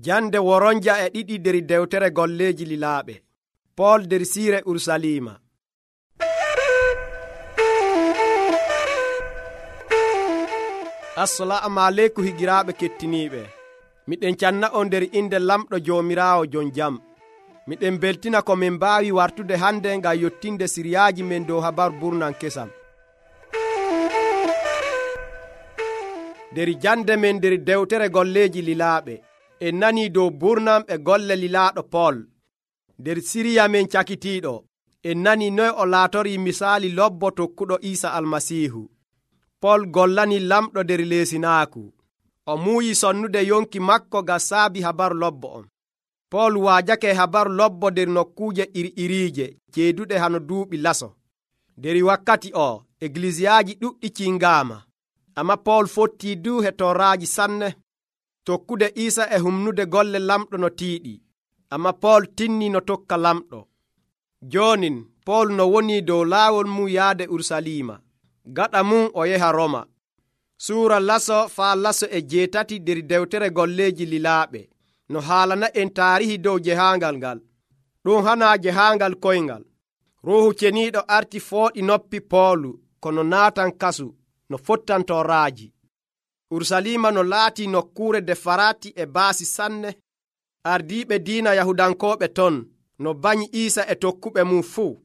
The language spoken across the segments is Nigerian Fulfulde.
Jande woronja e ɗiɗi der dewtere golleeji lilaaɓe. Pool der siire Urusalima. Assalamu aleykum higiraaɓe kettiniiɓe. Miɗen canna on nder inde lamɗo Joomiraawo jon jam. Miɗen beltina ko min mbaawi wartude hande ngam yottinde siriyaaji men dow habaru burnan kesam. Der jande men der dewtere golleeji lilaaɓe en nanii dow burnam e golle lilaaɗo Pool. Der siriya men cakitiiɗo en nanii noy o laatorii misaali lobbo tokkuɗo Iisa Almasiihu. Pool gollani lamɗo der leesinaaku. O muuyi sonnude yonki makko ga saabi habaru lobbo on. Pool waajake habaru lobbo der nokkuuje iri-iriije ceeduɗe hano duuɓi laso. Der wakkati o eglisiyaaji ɗuɗɗi cingaama. Amma Pool fottii du hetoraaji sanne tokkude Iisa e humnude golle lamɗo no tiiɗi. Amma Pool tinni no tokka lamɗo. Joonin Pool no woni dow laawol mum yaade Urusalima. Gaɗa mum o yaha Roma. Suura laso faa laso e 7 der dewtere golleeji lilaaɓe no haalana en taarihi dow jehaangal ngal. Ɗum hanaa jehaangal koyngal. Ruuhu Ceniiɗo arti fooɗi noppi Poolu kono naatan kasu no fottantoraaji. Urusalima no laati nokkuure defaraati e baasi sanne. Ardiiɓe diina Yahudankooɓe ton no bañi Iisa e tokkuɓe mum fuu.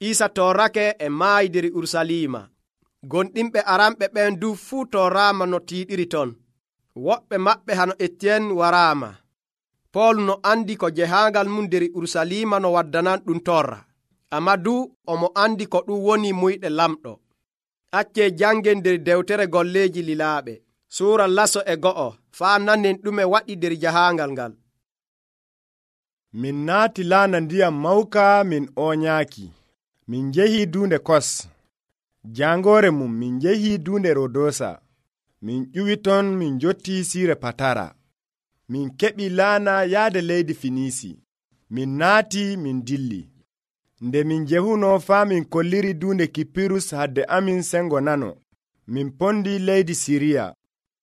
Iisa torrake e maayi der Urusalima. Gonɗinɓe aranɓe ɓen du fuu torraama no tiiɗiri ton. Woɓɓe maɓɓe hano Etiyen waraama. Pool no andi ko jehaangal mum der Urusalima no waddanan ɗum torra. Amma du omo andi ko ɗum woni muyɗe lamɗo. Accee jangen der dewtere golleeji lilaaɓe. Suura laso e 1 faa nanen ɗume waɗi der jahaangal ngal. Min naati laana ndiyam mawka min oñaaki. Min njehii duunde Kos. Jangoore mum min njehii duunde Rodosa. Min ƴuwi ton min njottii siire Patara. Min keɓi laana yaade leydi Finisi. Min naati min dilli. Nde min jehuno faa min kolliri duunde Kipirus hadde amin sengo nano. Min pondi leydi Siriya.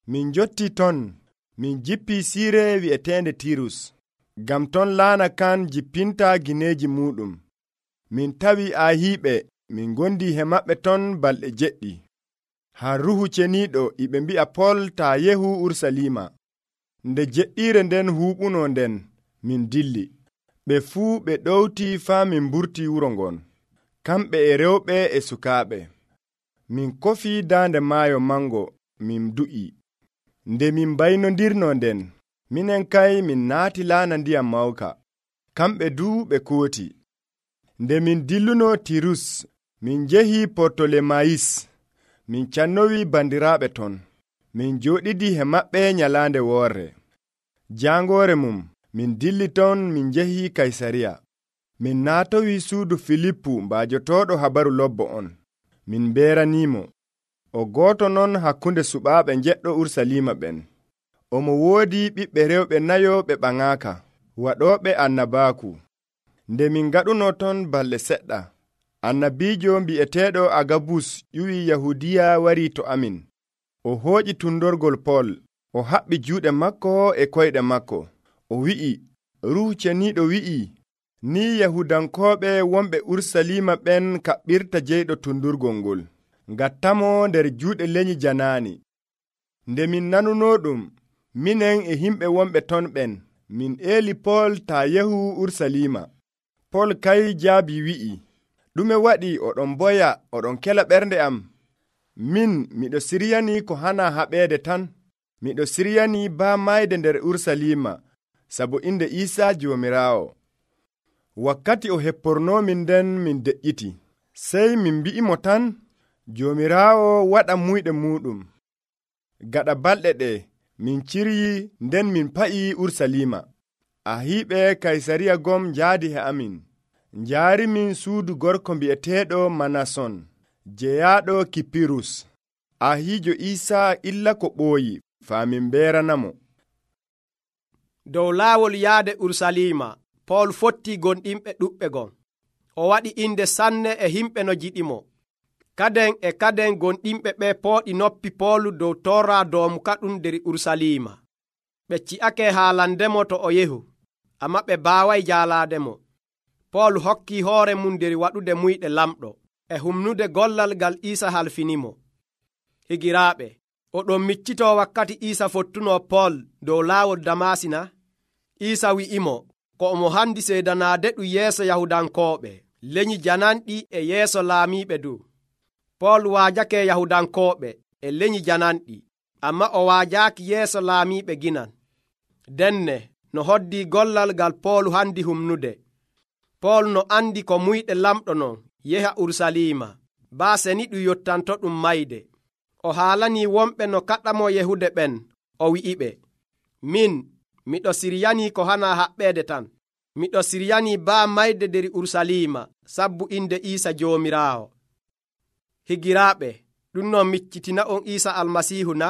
Min njottii ton. Min jippii siire wi'eteende Tirus. Gam ton laana kan jippinta gineeji muɗum. Min tawi Ahiiɓe. Min gondi he maɓɓe ton balɗe 7. Haa Ruuhu Ceniiɗo iɓe mbi'a Pool taa yehu Urusalima. Nde jeɗɗiire nden huuɓuno nden min dilli. Ɓe fuu ɓe ɗowti faa min mburti wuro ngon. Kamɓe e rewɓe e sukaaɓe. Min kofii daande maayo mango min du'i. Nde min baynondirno nden minen kay min naati laana ndiyam mawka. Kamɓe duu ɓe kooti. Nde min dilluno Tirus min njehii Portolemayis. Min cannowi bandiraaɓe ton. Min jooɗidi he maɓɓe nyalaande woorre. Jangoore mum min dilli ton min njehii Kaysariya. Min naatowi suudu Filippu mbaajotooɗo habaru lobbo on. Min mbeeraniimo. O gooto non hakkunde suɓaaɓe njeɗɗo Urusalima ɓen. Omo woodi ɓiɓɓe rewɓe 4 ɓe ɓaŋaaka, waɗooɓe annabaaku. Nde min ngaɗuno ton balɗe seɗɗa, annabiijo mbi'eteeɗo Agabus ƴuwi Yahudiya warii to amin. O hooƴi tundorgol Pool. O haɓɓi juuɗe makko e koyɗe makko. O wi'i, Ruuhu Ceniiɗo wi'ii, ni Yahudankooɓe wonɓe Urusalima ɓen kaɓɓirta jeyɗo tundurgol ngol. Ngattamo nder juuɗe lenyi janaani. Nde min nanuno ɗum, minen e himɓe wonɓe ton ɓen, min eeli Pool taa yehu Urusalima. Pool kay jaabi wi'i, ɗume waɗi oɗon boya oɗon kela ɓernde am? Min miɗo siryani ko hana haɓeede tan. Miɗo siryani baa mayde nder Urusalima, sabu inde Iisa Joomiraawo. Wakkati o heppornomin nden min deƴƴiti. Sey min mbi'imo tan, Joomiraawo waɗa muyɗe muɗum. Gaɗa balɗe ɗe, min ciryi nden min pa'ii Urusalima. Ahiiɓe Kaysariya gom njaadi he amin. Njaarimin suudu gorko mbi'eteeɗo Manason, jeyaaɗo Kipirus. Ahiijo Iisa illa ko ɓooyi, faa min mbeeranamo. Dow laawol yaade Urusalima, Pool fottii gonɗinɓe ɗuɓɓe gon. O waɗi inde sanne e himɓe no jiɗimo. Kaden gonɗinɓe ɓe pooɗi noppi Poolu dow torra doomu kaɗum der Urusalima. ɓe ci'ake haalandemo to o yehu, amma ɓe baaway jaalaademo. Pool hokki hoore mum nder waɗude muyɗe lamɗo e humnude gollal ngal Iisa halfinimo. Higiraaɓe, oɗon miccitoo wakkati Iisa fottuno Pool dow laawol Damasina. Iisa wi'imo ko omo handi seedanaade ɗum yeeso Yahudankooɓe, leñi jananɗi e yeeso laamiiɓe du. Pool waajake Yahudankooɓe e leñi jananɗi, amma o waajaaki yeeso laamiiɓe ginan. Denne no hoddii gollal ngal Pool handi humnude. Pool no andi ko muyɗe lamɗo non yeha Urusalima, baase ni ɗum yottanto ɗum mayde. O haalanii wonɓe no kaɗamo yehude ɓen, o wi'iɓe, min miɗo siryanii ko hana haɓɓeede tan. Miɗo siryanii baa mayde nder Urusalima sabbu inde Iisa Joomiraawo. Higiraaɓe, ɗum non miccitina on Iisa Almasiihu na?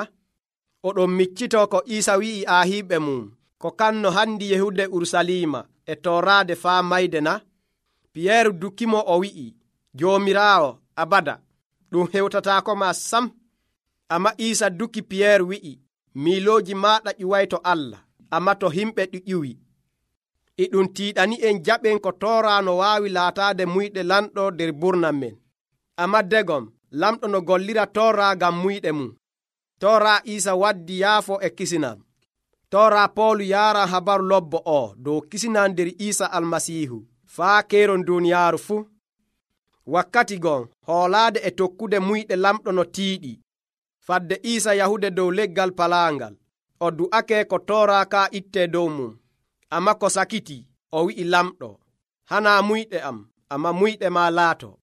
Oɗon miccitoo ko Iisa wi'i aahiiɓe mum ko kanno handi yehude Urusalima e tooraade faa mayde na? Piyeeru dukkimo o wi'i, Joomiraawo abada, ɗum hewtataako ma sam. Amma Iisa dukki Piyeeru wi'i, miilooji maaɗa ƴuway to Allah, amma to himɓe ɗi ƴuwi. E ɗum tiiɗani en jaɓen ko Toora no waawi laataade muyɗe lamɗo nder burnam men. Amma degom lamɗo no gollira Toora ngam muyɗe mum. Toora Iisa waddi yaafo e kisinam. Toora Poolu yaaran habaru lobbo o dow kisinam nder Iisa Almasiihu faa keeron duuniyaaru fuu. Wakkati gon hoolaade e tokkude muyɗe lamɗo no tiiɗi. Fadde Iisa yahude dow leggal palaangal, o du'ake ko Toora ka ittee dow mum. Amma ko sakiti, o wi'i lamɗo, hanaa muyɗe am, amma muyɗe ma laato.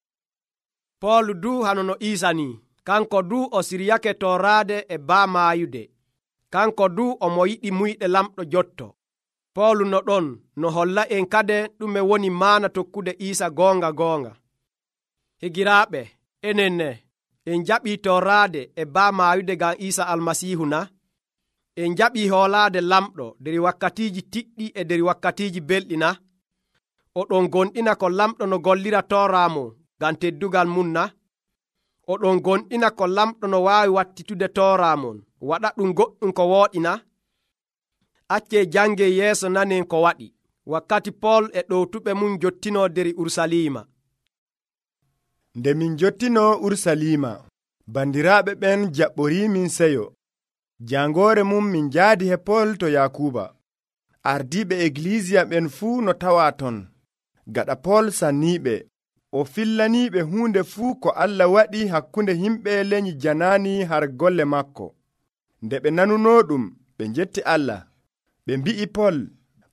Poolu du hanono Iisa ni, kanko du o siryake tooraade e baa maayude. Kanko du omo yiɗi muyɗe lamɗo jotto. Poolu no ɗon no holla en kade ɗume woni maana tokkude Iisa goonga goonga. Higiraaɓe, enen ne en jaɓii tooraade e baa maayude ngam Iisa Almasiihu na? En jaɓii hoolaade lamɗo nder wakkatiiji tiɗɗi e nder wakkatiiji belɗi na? Oɗon gonɗina ko lamɗo no gollira tooraamo ngam teddugal mum na? Oɗon gonɗina ko lamɗo no waawi wattitude tooraamon waɗa ɗum goɗɗum ko wooɗi na? Accee jange yeeso nanen ko waɗi wakkati Pool e ɗowtuɓe mum jottinoo nder Urusalima. Nde min jottinoo Urusalima, bandiraaɓe ɓen jaɓɓorii min seyo. Jangoore mum min njaadi he Pool to Yakuba. Ardiiɓe Egilisiya ɓen fuu no tawaa ton. Gaɗa Pool sanniiɓe, o fillaniiɓe huunde fuu ko Allah waɗi hakkunde yimɓe leñi janaani har golle makko. Nde ɓe nanunoo ɗum, ɓe njetti Allah. Ɓe mbi'i Pool,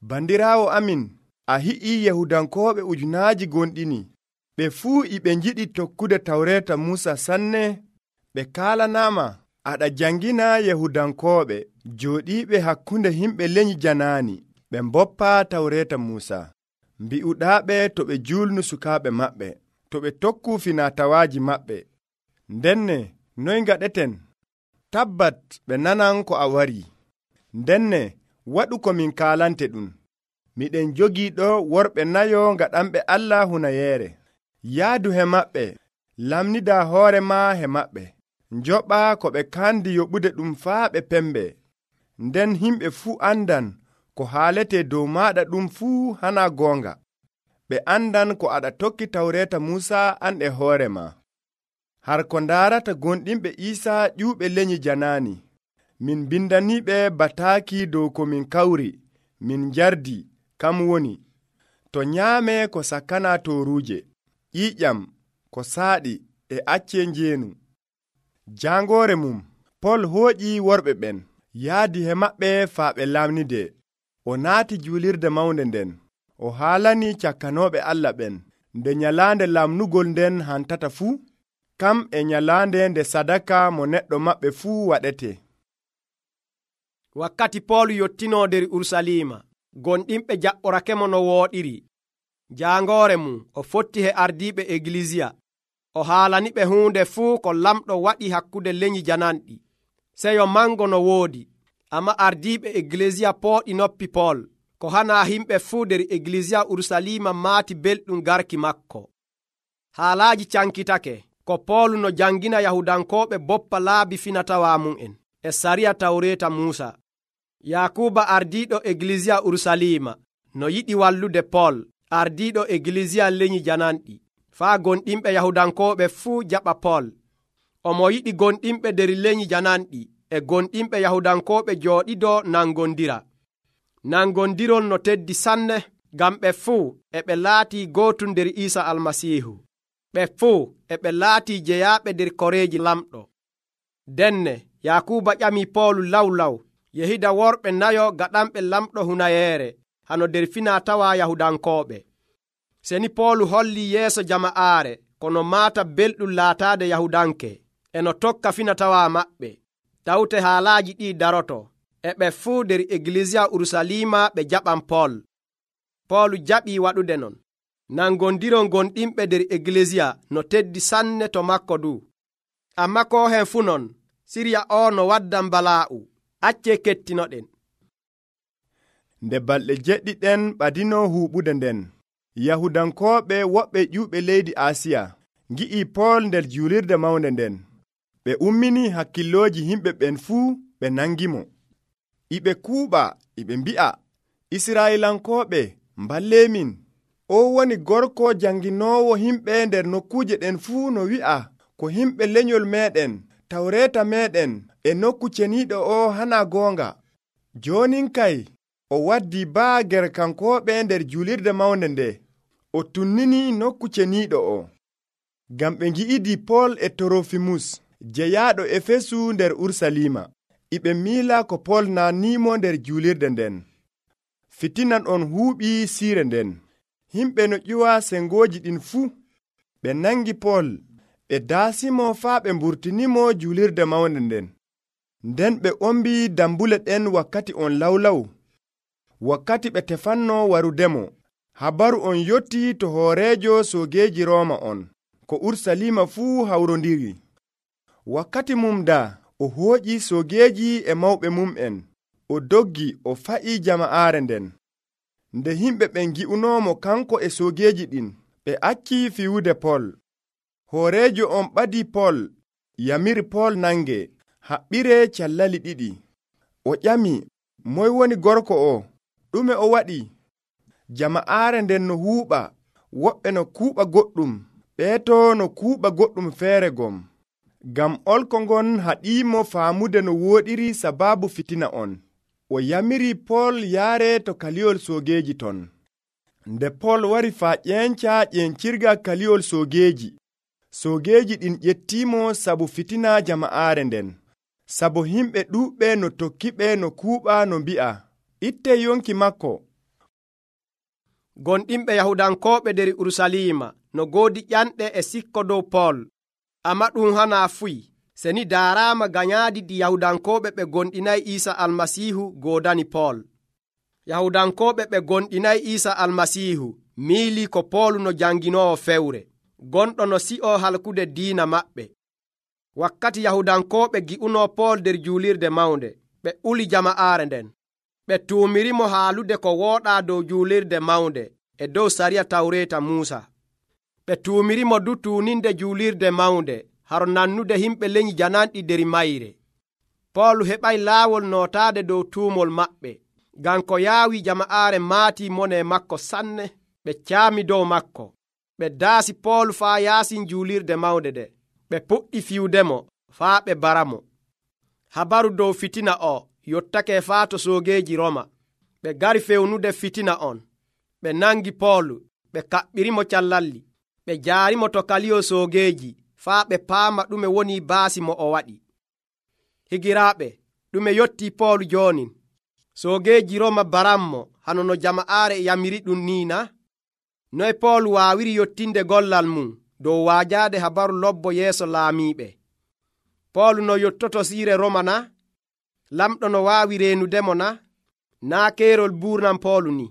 bandiraawo amin, a hi'ii Yahudankooɓe ujunaaji gonɗini. Ɓe fuu e ɓe njiɗi tokkude tawreeta Muusa sanne. Ɓe kaalanaama, aɗa jangina Yahudankooɓe jooɗiiɓe hakkunde yimɓe leñi janaani, ɓe mboppaa tawreeta Muusa. Mbi'uɗaaɓe to ɓe juulnu sukaaɓe maɓɓe, to ɓe tokku finatawaaji maɓɓe. Ndenne, noy ngaɗeten? Tabbat ɓe nanan ko a wari. Ndenne, waɗu ko min kaalante ɗum. Miɗen jogii ɗo worɓe nayo ngaɗanɓe Allah hunayeere. Yaadu he maɓɓe, lamnidaa hoore ma he maɓɓe. Njoɓa ko ɓe kandi yoɓude ɗum faa ɓe pembe. Nden himɓe fuu andan ko haalete dow maɗa ɗum fuu hana goonga. Ɓe andan ko aɗa tokki tawreeta Muusa an e hoore ma. Har ko ndaarata gonɗinɓe Iisa ƴuuɓe leñi janaani. Min bindaniɓe bataaki dow ko min kawri, min jardi, kam woni to nyaame ko sakkana toruuje, ƴiƴam, ko saaɗi e acce njeenu. Jangoore mum, Pool hooƴi worɓe ɓen, yaadi he maɓɓe faa ɓe lamnide. O naati juulirde mawnde nden, o haalani cakkanooɓe Allah ɓen, nde nyalaande lamnugol nden hantata fuu, kam e nyalaande nde sadaka mo neɗɗo maɓɓe fuu waɗete. Wakkati Pool yottinoo nder Urusalima, gonɗinɓe jaɓɓorakemo no wooɗiri. Jangoore mum o fotti he ardiiɓe Egilisiya, o haalaniɓe huunde fuu ko lamɗo waɗi hakkude leñi jananɗi. Seyo mango no woodi, amma ardiiɓe Egilisiya pooɗi noppi Pool, ko hana himɓe fuu nder Egilisiya Urusalima maati belɗum garki makko. Haalaaji cankitake ko Pool no jangina Yahudankooɓe boppa laabi finatawa mum en e sariya tawreeta Muusa. Yakuba ardiiɗo Eglisiya Urusalima no yiɗi wallude Pol ardiiɗo Eglisiya leñi jananɗi faa gonɗinɓe Yahudankooɓe fuu jaɓa Pol. Omo yiɗi gonɗinɓe nder leñi jananɗi e gonɗinɓe Yahudankooɓe jooɗidoo nangondira. Nangondirol no teddi sanne ngam ɓe fuu e ɓe laatii gootum nder Iisa Almasiihu. Ɓe fuu e ɓe laatii jeyaaɓe nder koreeji lamɗo. Denne Yakuba ƴamii Poolu lawlaw yehida worɓe nayo gaɗanɓe lamɗo hunayeere hano nder finaa-tawaa Yahudankooɓe. Seni Poolu hollii yeeso jama'aare kono maata belɗum laataade Yahudanke e no tokka fina-tawaa maɓɓe. Tawte haalaaji ɗii daroto e ɓe fuu nder Eglisiya Urusalima ɓe jaɓan Pol. Poolu jaɓii waɗude non. Nangondirol gonɗinɓe nder Eglisiya no teddi sanne to makko du. Ammaa koo hen fuu non, Siriya o no waddan balaa'u. Accee kettinoɗen. Nde balɗe jeɗɗiɗen ɓadinoo huuɓude nden, Yahudankooɓe woɓɓe ƴuuɓe leydi Asiya ngi'ii Pol nder juulirde mawnde nden. Ɓe umminii hakkillooji yimɓe ɓen fuu ɓe nangimo. Iɓe kuuɓa, iɓe mbi'a, Israa'ilankooɓe, mballeemin. O woni gorko janginoowo yimɓe nder nokkuuje ɗen fuu no wi'a ko yimɓe lenyol meeɗen, Tawreeta meeɗen e nokku ceniiɗo o hana goonga. Joonin kay o waddii baa gerkankooɓe nder juulirde mawnde nde, o tunninii nokku ceniiɗo o. Ngam ɓe ngi'idii Pol e Torofimus jeyaaɗo Efesu nder Urusalima. Iɓe miila ko Pol naanniimo nder juulirde nden. Fitinan on huuɓii siire nden. Himɓe no ƴuwa sengooji ɗin fuu. Ɓe nangi Pol, ɓe daasimo faa ɓe mburtinimo juulirde mawnde nden. Nden ɓe ombii dambule ɗen wakkati on lawlaw, wakkati ɓe tefanno warudemo. Habaru on yottii to hooreejo soogeeji Rooma on, ko Urusalima fuu hawrondiri. Wakkati mum daa o hooƴi soogeeji e mawɓe mum'en, o doggi o fa'ii jama'aare nden. Nde yimɓe ɓen ngi'unoomo kanko e soogeeji ɗin, ɓe accii fiwude Pol. Hooreejo on ɓadii Pol, yamiri Pol nange, haɓɓiree callali ɗiɗi. O ƴami, moy woni gorko o? Ɗume o waɗi? Jama'aare nden no huuɓa, woɓɓe no kuuɓa goɗɗum, ɓeeto no kuuɓa goɗɗum feere gom. Ngam olko ngon haɗiimo faamude no wooɗiri sabaabu fitina on. O yamiri Pol yaare to kaliyol soogeeji ton. Nde Pol wari faa ƴeenca ƴencirga kaliyol soogeeji, soogeeji ɗin ƴettiimo sabu fitina jama'aare nden, sabu yimɓe ɗuuɓɓe no tokkiɓe no kuuɓa no mbi'a, ittee yonki makko. Gonɗinɓe Yahudankooɓe nder Urusalima no goodi ƴanɗe e sikko dow Pol. Amma ɗum hana fuyi. Seni daaraama ganyaadi ɗi Yahudankooɓe ɓe gonɗinayi Iisa Almasiihu goodani Pol. Yahudankooɓe ɓe gonɗinayi Iisa Almasiihu miilii ko Pol no janginoowo fewre, gonɗo no si'oo halkude diina maɓɓe. Wakkati Yahudankooɓe gi'unoo Pol nder juulirde mawnde, ɓe uli jama'aare nden. Ɓe tuumirimo haalude ko wooɗaa dow juulirde mawnde e dow sariya Tawreeta Muusa. Ɓe tuumirimo du tuuninde juulirde mawnde haro nannude yimɓe leñi jananɗi nder mayre. Pol heɓay laawol nootaade dow tuumol maɓɓe, ngam ko yaawi jama'aare maatii mone makko sanne. Ɓe caami dow makko. Ɓe daasi Pol faa yaasin juulirde mawnde nde. Ɓe puɗɗi fiwdemo faa ɓe baramo. Habaru dow fitina o yottake faa to soogeeji Roma. Ɓe gari fewnude fitina on. Ɓe nangi Pol, ɓe kaɓɓirimo callalli. Ɓe jaarimo to kaliyol soogeeji faa ɓe paama ɗume woni baasi mo o waɗi. Higiraaɓe, ɗume yottii Pol joonin? Soogeeji Roma baranmo hano no jama'aare yamiri ɗum niina? Noy Pol waawiri yottinde gollal mum dow waajaade habaru lobbo yeeso laamiiɓe? Pol no yottoto siire Roma na? Lamɗo no waawi reenudemo na? Naa keerol buurnam Pol ni.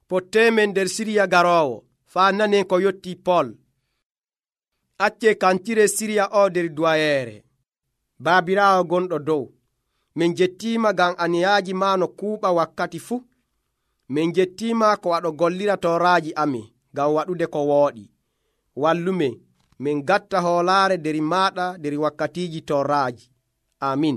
Potteemen nder Siriya garoowo faa nanen ko yottii Pol. Accee kancire Siriya o nder duwayeere. Baabiraawo gonɗo dow, min jettiima ngam aniyaaji maa no kuuɓa wakkati fuu. Min jettiima ko aɗo gollira tooraaji amin ngam waɗude ko wooɗi. Wallumen min gatta hoolaare nder maaɗa nder wakkatiiji tooraaji. Amin.